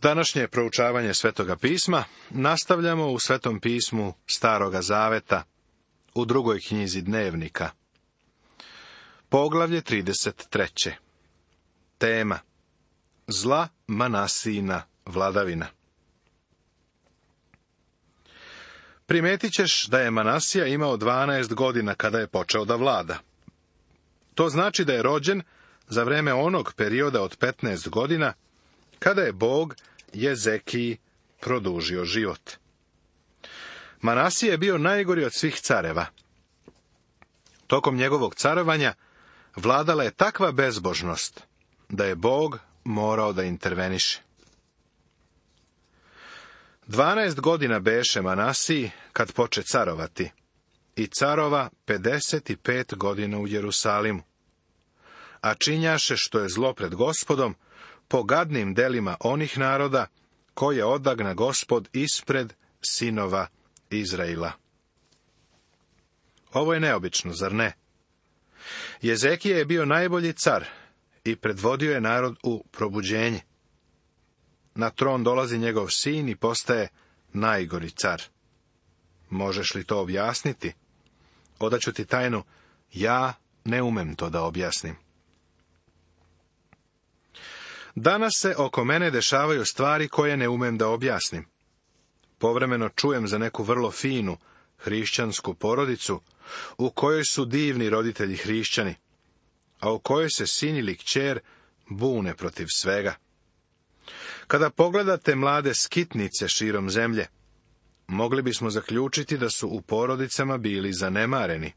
Današnje proučavanje Svetoga pisma nastavljamo u Svetom pismu Staroga zaveta, u 2. knjizi Dnevnika. Poglavlje 33. Tema: Zla Manasijina vladavina. Primetit ćeš da je Manasija imao 12 godina kada je počeo da vlada. To znači da je rođen za vreme onog perioda od 15 godina, kada je Bog Jezekiji produžio život. Manasija je bio najgori od svih careva. Tokom njegovog carovanja vladala je takva bezbožnost da je Bog morao da interveniše. 12 godina beše Manasiji kad poče carovati i carova 55 godina u Jerusalimu, a činjaše što je zlo pred Gospodom po gadnim delima onih naroda koje odagna Gospod ispred sinova Izraila. Ovo je neobično, zar ne? Jezekija je bio najbolji car i predvodio je narod u probuđenje. Na tron dolazi njegov sin i postaje najgori car. Možeš li to objasniti? Odaću ti tajnu, ja ne umem to da objasnim. Danas se oko mene dešavaju stvari koje ne umem da objasnim. Povremeno čujem za neku vrlo finu hrišćansku porodicu u kojoj su divni roditelji hrišćani, a u kojoj se sin ili kćer bune protiv svega. Kada pogledate mlade skitnice širom zemlje, mogli bismo zaključiti da su u porodicama bili zanemareni.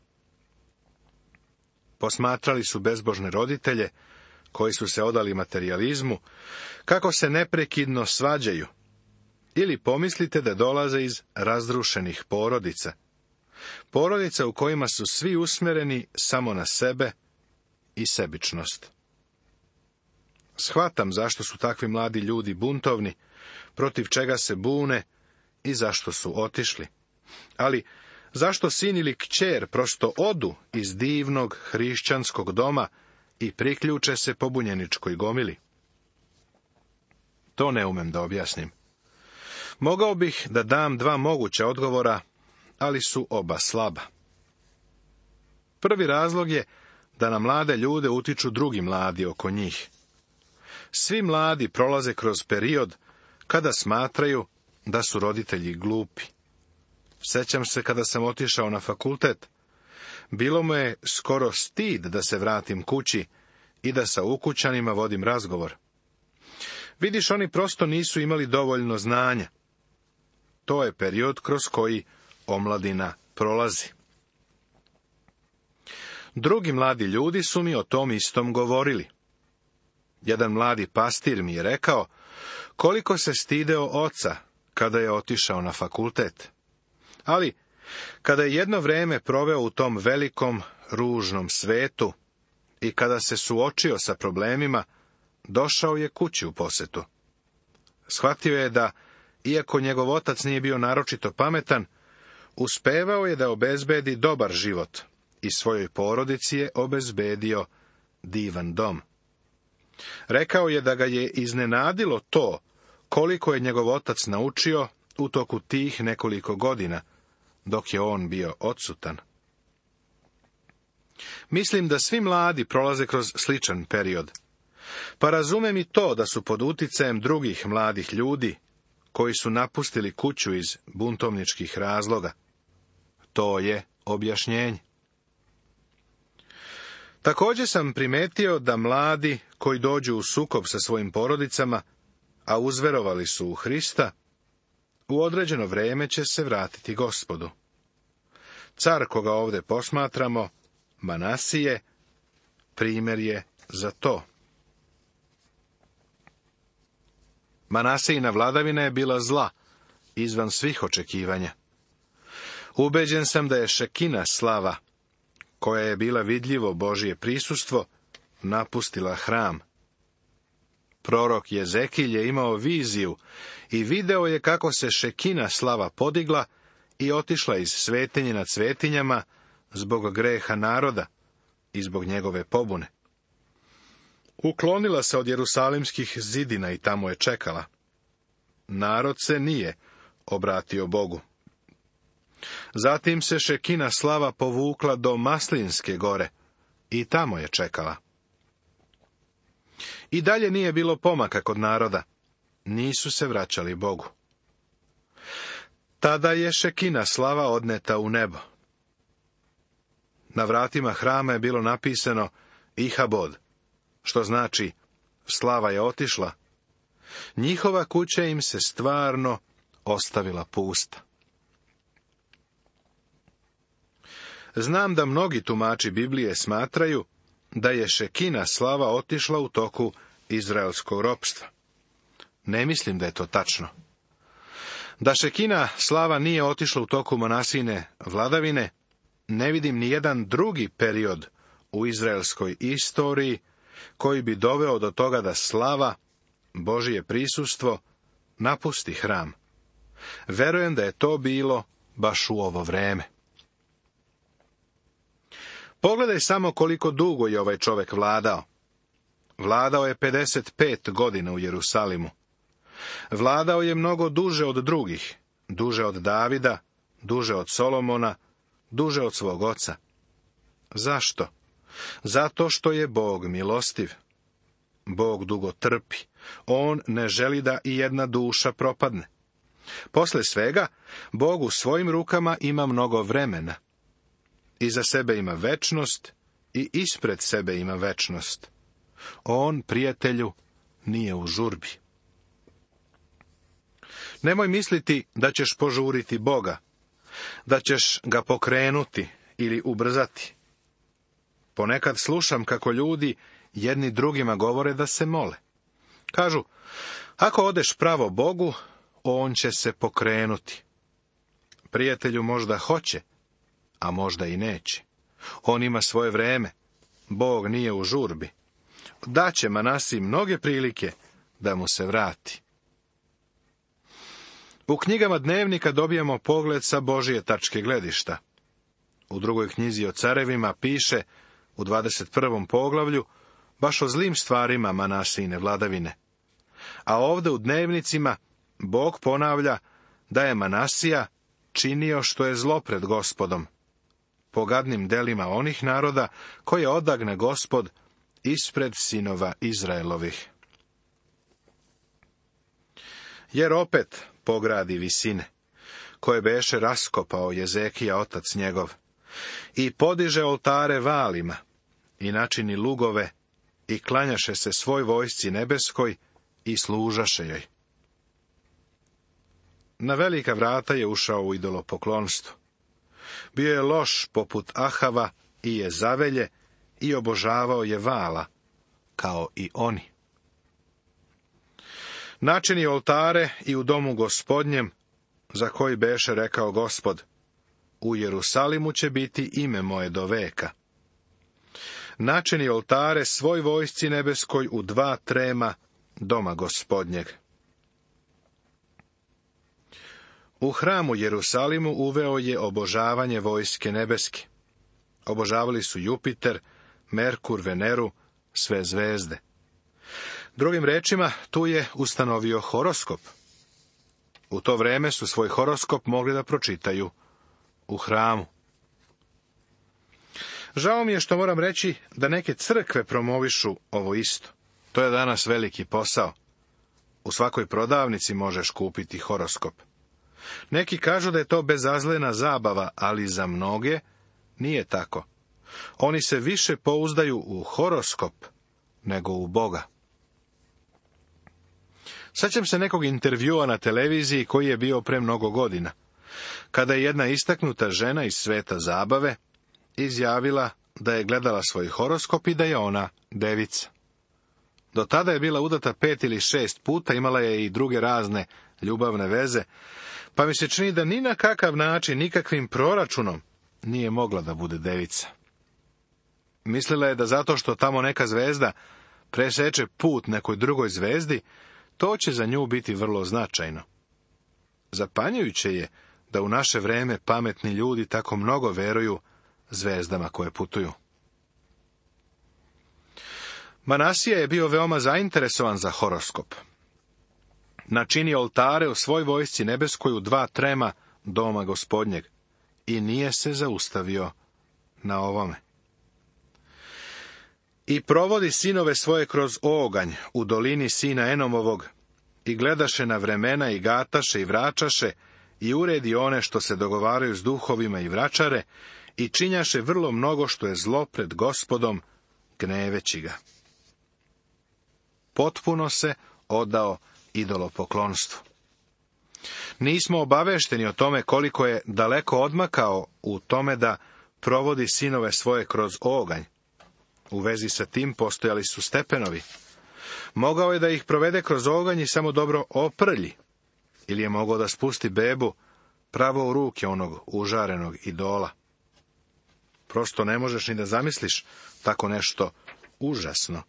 Posmatrali su bezbožne roditelje, koji su se odali materijalizmu, kako se neprekidno svađaju. Ili pomislite da dolaze iz razrušenih porodica. Porodica u kojima su svi usmjereni samo na sebe i sebičnost. Shvatam zašto su takvi mladi ljudi buntovni, protiv čega se bune i zašto su otišli. Ali zašto sin ili kćer prosto odu iz divnog hrišćanskog doma i priključe se pobunjeničkoj gomili? To ne umem da objasnim. Mogao bih da dam 2 moguća odgovora, ali su oba slaba. Prvi razlog je da na mlade ljude utiču drugi mladi oko njih. Svi mladi prolaze kroz period kada smatraju da su roditelji glupi. Sjećam se kada sam otišao na fakultet, bilo mu je skoro stid da se vratim kući i da sa ukućanima vodim razgovor. Vidiš, oni prosto nisu imali dovoljno znanja. To je period kroz koji omladina prolazi. Drugi mladi ljudi su mi o tom istom govorili. Jedan mladi pastir mi je rekao koliko se stideo oca kada je otišao na fakultet. Ali, kada je jedno vrijeme proveo u tom velikom, ružnom svetu i kada se suočio sa problemima, došao je kući u posetu. Shvatio je da, iako njegov otac nije bio naročito pametan, uspevao je da obezbedi dobar život i svojoj porodici je obezbedio divan dom. Rekao je da ga je iznenadilo to koliko je njegov otac naučio u toku tih nekoliko godina, dok je on bio odsutan. Mislim da svi mladi prolaze kroz sličan period. Pa razumem i to da su pod uticajem drugih mladih ljudi, koji su napustili kuću iz buntovničkih razloga. To je objašnjenje. Također sam primetio da mladi koji dođu u sukob sa svojim porodicama, a uzverovali su u Hrista, u određeno vrijeme će se vratiti Gospodu. Car koga ovdje posmatramo, Manasije, primjer je za to. Manasijina vladavina je bila zla, izvan svih očekivanja. Ubeđen sam da je Šekina slava, koja je bila vidljivo Božje prisustvo, napustila hram. Prorok Jezekilj je imao viziju i video je kako se Šekina slava podigla i otišla iz svetinje nad svetinjama zbog greha naroda i zbog njegove pobune. Uklonila se od jerusalimskih zidina i tamo je čekala. narod se nije obratio Bogu. Zatim se Šekina slava povukla do Maslinske gore i tamo je čekala. I dalje nije bilo pomaka kod naroda, nisu se vraćali Bogu. Tada je Šekina slava odneta u nebo. Na vratima hrama je bilo napisano Ihabod, što znači slava je otišla. Njihova kuća im se stvarno ostavila pusta. Znam da mnogi tumači Biblije smatraju da je Šekina slava otišla u toku izraelskog ropstva. Ne mislim da je to tačno. Da Šekina slava nije otišla u toku Manasijine vladavine, ne vidim ni jedan drugi period u izraelskoj istoriji koji bi doveo do toga da slava, Božje prisustvo, napusti hram. Verujem da je to bilo baš u ovo vreme. Pogledaj samo koliko dugo je ovaj čovjek vladao. Vladao je 55 godina u Jerusalimu. Vladao je mnogo duže od drugih, duže od Davida, duže od Solomona, duže od svog oca. Zašto? Zato što je Bog milostiv. Bog dugo trpi. On ne želi da i jedna duša propadne. Posle svega, Bog u svojim rukama ima mnogo vremena. Iza sebe ima večnost i ispred sebe ima večnost. On, prijatelju, nije u žurbi. Nemoj misliti da ćeš požuriti Boga, da ćeš ga pokrenuti ili ubrzati. Ponekad slušam kako ljudi jedni drugima govore da se mole. Kažu, ako odeš pravo Bogu, on će se pokrenuti. Prijatelju, možda hoće, a možda i neće. On ima svoje vreme. Bog nije u žurbi. Daće Manasiji mnoge prilike da mu se vrati. U knjigama dnevnika dobijamo pogled sa Božje tačke gledišta. U drugoj knjizi o carevima piše, u 21. poglavlju, baš o zlim stvarima Manasijine vladavine. A ovdje u dnevnicima Bog ponavlja da je Manasija činio što je zlo pred Gospodom, po gadnim delima onih naroda koje odagne Gospod ispred sinova Izraelovih. Jer opet pogradi visine, koje beše raskopao Jezekija otac njegov, i podiže oltare valima, i načini lugove, i klanjaše se svoj vojsci nebeskoj, i služaše joj. Na velika vrata je ušao u idolopoklonstvo. Bio je loš poput Ahava i Jezavelje i obožavao je Vala, kao i oni. Načini oltare i u domu Gospodnjem, za koji beše rekao Gospod, u Jerusalimu će biti ime moje do veka. Načini oltare svoj vojsci nebeskoj u 2 trema doma Gospodnjeg. U hramu Jerusalimu uveo je obožavanje vojske nebeske. Obožavali su Jupiter, Merkur, Veneru, sve zvezde. Drugim rečima, tu je ustanovio horoskop. U to vreme su svoj horoskop mogli da pročitaju u hramu. Žao mi je što moram reći da neke crkve promovišu ovo isto. To je danas veliki posao. U svakoj prodavnici možeš kupiti horoskop. Neki kažu da je to bezazlena zabava, ali za mnoge nije tako. Oni se više pouzdaju u horoskop nego u Boga. Sjećam se nekog intervjua na televiziji koji je bio pre mnogo godina, kada je jedna istaknuta žena iz sveta zabave izjavila da je gledala svoj horoskop i da je ona devica. Do tada je bila udata 5 ili 6 puta, imala je i druge razne ljubavne veze, pa mi se čini da ni na kakav način, nikakvim proračunom nije mogla da bude devica. Mislila je da zato što tamo neka zvezda preseče put nekoj drugoj zvezdi, to će za nju biti vrlo značajno. Zapanjujuće je da u naše vreme pametni ljudi tako mnogo veruju zvezdama koje putuju. Manasija je bio veoma zainteresovan za horoskop. načini oltare u svoj vojsci nebeskoj u 2 trema doma Gospodnjeg i nije se zaustavio na ovome. I provodi sinove svoje kroz oganj u dolini sina Enomovog i gledaše na vremena i gataše i vračaše i uredi one što se dogovaraju s duhovima i vračare i činjaše vrlo mnogo što je zlo pred Gospodom, gneveći ga. Potpuno se odao idolopoklonstvu. Nismo obavešteni o tome koliko je daleko odmakao u tome da provodi sinove svoje kroz oganj. U vezi sa tim postojali su stepenovi. Mogao je da ih provede kroz oganj i samo dobro oprlji, ili je mogao da spusti bebu pravo u ruke onog užarenog idola. Prosto ne možeš ni da zamisliš tako nešto užasno.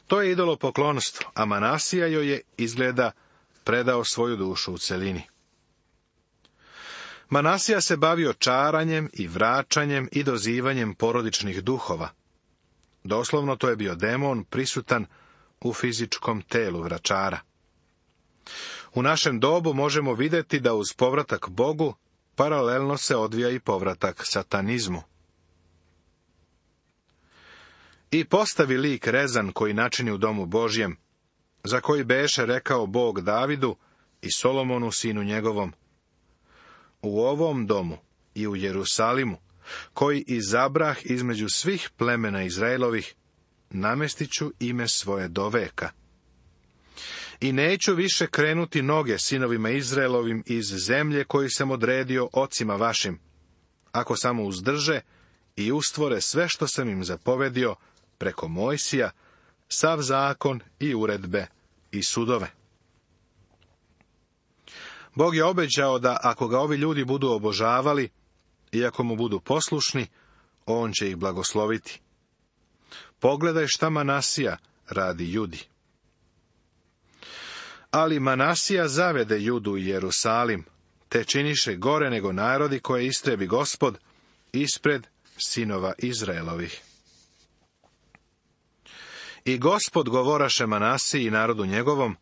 To je idolopoklonstvo, a Manasija joj je, izgleda, predao svoju dušu u celini. Manasija se bavio čaranjem i vračanjem i dozivanjem porodičnih duhova. Doslovno to je bio demon prisutan u fizičkom telu vračara. U našem dobu možemo vidjeti da uz povratak Bogu paralelno se odvija i povratak satanizmu. I postavi lik rezan koji načini u domu Božjem, za koji beše rekao Bog Davidu i Solomonu sinu njegovom: u ovom domu i u Jerusalimu, koji izabrah između svih plemena Izraelovih, namestit ću ime svoje do veka. I neću više krenuti noge sinovima Izraelovim iz zemlje koju sam odredio ocima vašim, ako samo uzdrže i ustvore sve što sam im zapovedio preko Mojsija, sav zakon i uredbe i sudove. Bog je obećao da ako ga ovi ljudi budu obožavali i ako mu budu poslušni, on će ih blagosloviti. Pogledaj šta Manasija radi Judi. Ali Manasija zavede Judu i Jerusalim, te činiše gore nego narodi koje istrebi Gospod ispred sinova Izraelovih. I Gospod govoraše Manasiji i narodu njegovom,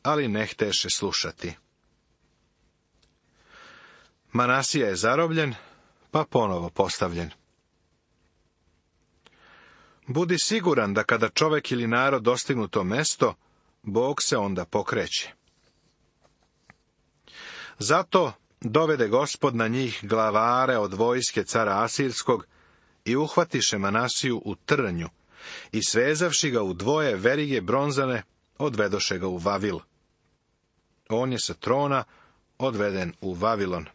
ali ne hteše slušati. Manasija je zarobljen, pa ponovo postavljen. Budi siguran da kada čovjek ili narod dostignu to mesto, Bog se onda pokreće. Zato dovede Gospod na njih glavare od vojske cara Asirskog i uhvatiše Manasiju u trnju i svezavši ga u 2 verige bronzane, odvedoše ga u Vavil. On je sa trona odveden u Vavilon.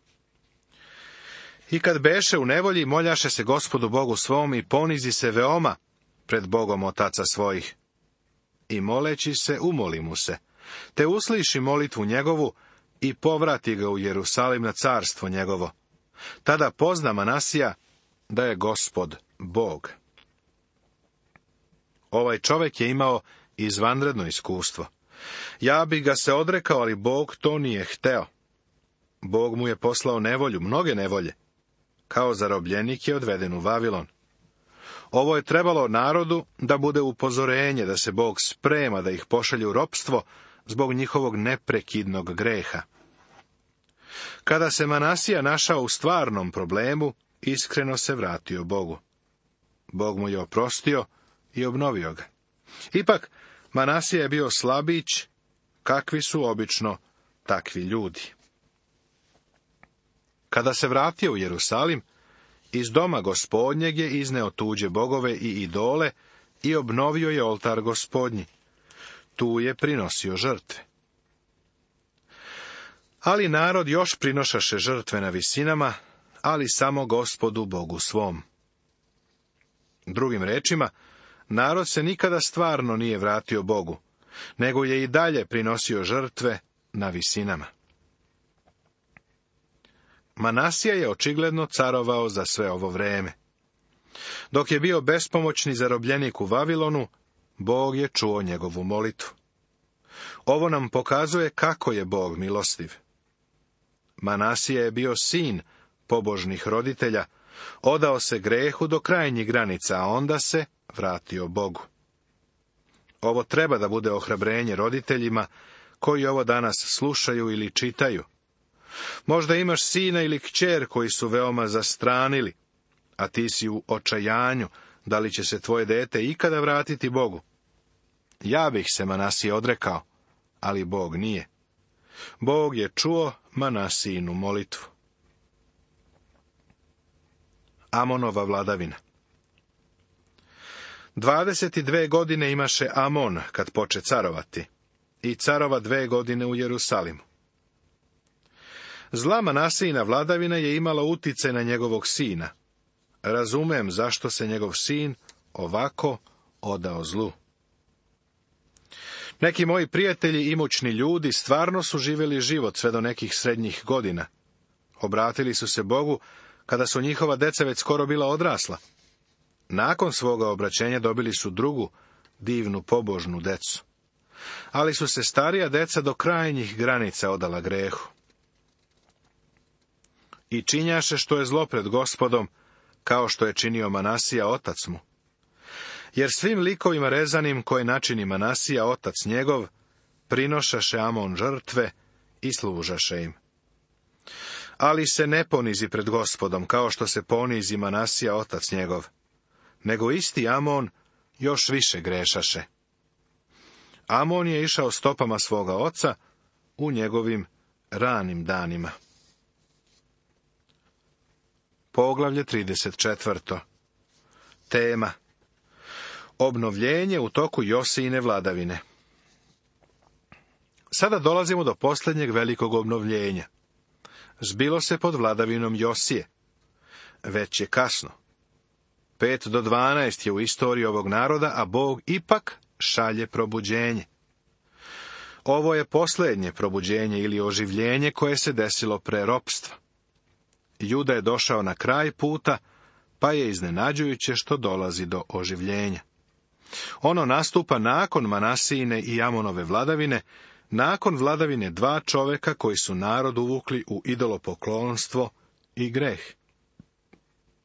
I kad beše u nevolji, moljaše se Gospodu Bogu svom i ponizi se veoma pred Bogom otaca svojih. I moleći se, umoli mu se, te usliši molitvu njegovu i povrati ga u Jerusalim na carstvo njegovo. Tada pozna Manasija da je Gospod Bog. Ovaj čovjek je imao izvanredno iskustvo. Ja bih ga se odrekao, ali Bog to nije hteo. Bog mu je poslao nevolju, mnoge nevolje. Kao zarobljenik je odveden u Vavilon. Ovo je trebalo narodu da bude upozorenje da se Bog sprema da ih pošalje u ropstvo zbog njihovog neprekidnog greha. Kada se Manasija našao u stvarnom problemu, iskreno se vratio Bogu. Bog mu je oprostio i obnovio ga. Ipak, Manasija je bio slabić, kakvi su obično takvi ljudi. Kada se vratio u Jerusalim, iz doma Gospodnjeg je izneo tuđe bogove i idole i obnovio je oltar Gospodnji. Tu je prinosio žrtve. Ali narod još prinošaše žrtve na visinama, ali samo Gospodu Bogu svom. Drugim rečima, narod se nikada stvarno nije vratio Bogu, nego je i dalje prinosio žrtve na visinama. Manasija je očigledno carovao za sve ovo vreme. Dok je bio bespomoćni zarobljenik u Vavilonu, Bog je čuo njegovu molitvu. Ovo nam pokazuje kako je Bog milostiv. Manasija je bio sin pobožnih roditelja, odao se grehu do krajnjih granica, a onda se vratio Bogu. Ovo treba da bude ohrabrenje roditeljima koji ovo danas slušaju ili čitaju. Možda imaš sina ili kćer koji su veoma zastranili, a ti si u očajanju da li će se tvoje dete ikada vratiti Bogu. Ja bih se Manasije odrekao, ali Bog nije. Bog je čuo Manasijinu molitvu. Amonova vladavina. 22 godine imaše Amon kad poče carovati i carova 2 godine u Jerusalimu. Zla Manasijina vladavina je imala uticaj na njegovog sina. Razumem zašto se njegov sin ovako odao zlu. Neki moji prijatelji, imućni ljudi, stvarno su živjeli život sve do nekih srednjih godina. Obratili su se Bogu kada su njihova deca već skoro bila odrasla. Nakon svoga obraćenja dobili su drugu, divnu, pobožnu decu. Ali su se starija deca do krajnjih granica odala grehu. I činjaše što je zlo pred Gospodom, kao što je činio Manasija otac mu. Jer svim likovima rezanim koje načini Manasija otac njegov, prinošaše Amon žrtve i služaše im. Ali se ne ponizi pred Gospodom, kao što se ponizi Manasija otac njegov, nego isti Amon još više grešaše. Amon je išao stopama svoga oca u njegovim ranim danima. Poglavlje 34. Tema: obnovljenje u toku Josijine vladavine. Sada dolazimo do posljednjeg velikog obnovljenja. Zbilo se pod vladavinom Josije. Već je kasno. 5 do 12 je u istoriji ovog naroda, a Bog ipak šalje probuđenje. Ovo je posljednje probuđenje ili oživljenje koje se desilo pre ropstva. Juda je došao na kraj puta, pa je iznenađujuće što dolazi do oživljenja. Ono nastupa nakon Manasijine i Amonove vladavine, nakon vladavine 2 čoveka koji su narod uvukli u idolopoklonstvo i greh.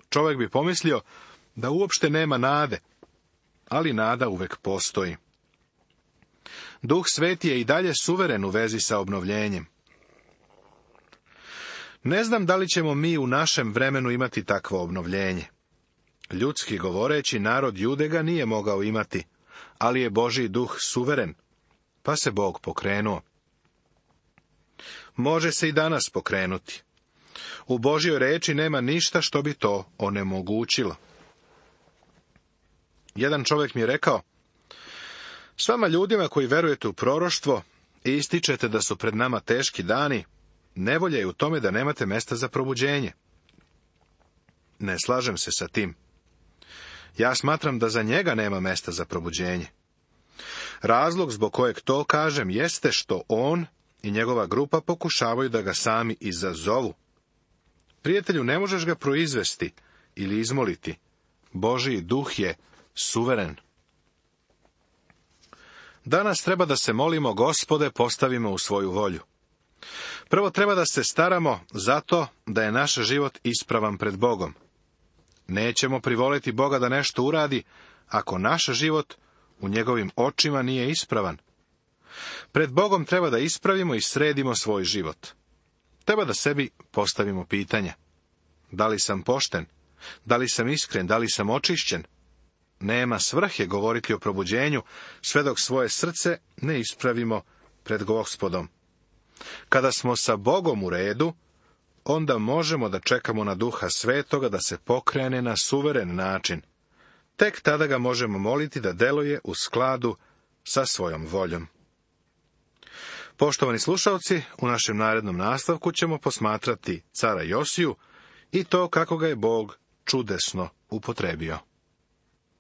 Čovjek bi pomislio da uopšte nema nade, ali nada uvek postoji. Duh Sveti je i dalje suveren u vezi sa obnovljenjem. Ne znam da li ćemo mi u našem vremenu imati takvo obnovljenje. Ljudski govoreći, narod Jude ga nije mogao imati, ali je Božji duh suveren, pa se Bog pokrenuo. Može se i danas pokrenuti. U Božjoj reči nema ništa što bi to onemogućilo. Jedan čovjek mi je rekao: s vama ljudima koji verujete u proroštvo i ističete da su pred nama teški dani, nevolja je u tome da nemate mesta za probuđenje. Ne slažem se sa tim. Ja smatram da za njega nema mesta za probuđenje. Razlog zbog kojeg to kažem jeste što on i njegova grupa pokušavaju da ga sami izazovu. Prijatelju, ne možeš ga proizvesti ili izmoliti. Božji duh je suveren. Danas treba da se molimo: Gospode, postavimo u svoju volju. Prvo treba da se staramo zato da je naš život ispravan pred Bogom. Nećemo privoliti Boga da nešto uradi ako naš život u njegovim očima nije ispravan. Pred Bogom treba da ispravimo i sredimo svoj život. Treba da sebi postavimo pitanja: da li sam pošten? Da li sam iskren? Da li sam očišćen? Nema svrhe govoriti o probuđenju sve dok svoje srce ne ispravimo pred Gospodom. Kada smo sa Bogom u redu, onda možemo da čekamo na Duha Svetoga da se pokrene na suveren način. Tek tada ga možemo moliti da deluje u skladu sa svojom voljom. Poštovani slušalci, u našem narednom nastavku ćemo posmatrati cara Josiju i to kako ga je Bog čudesno upotrebio.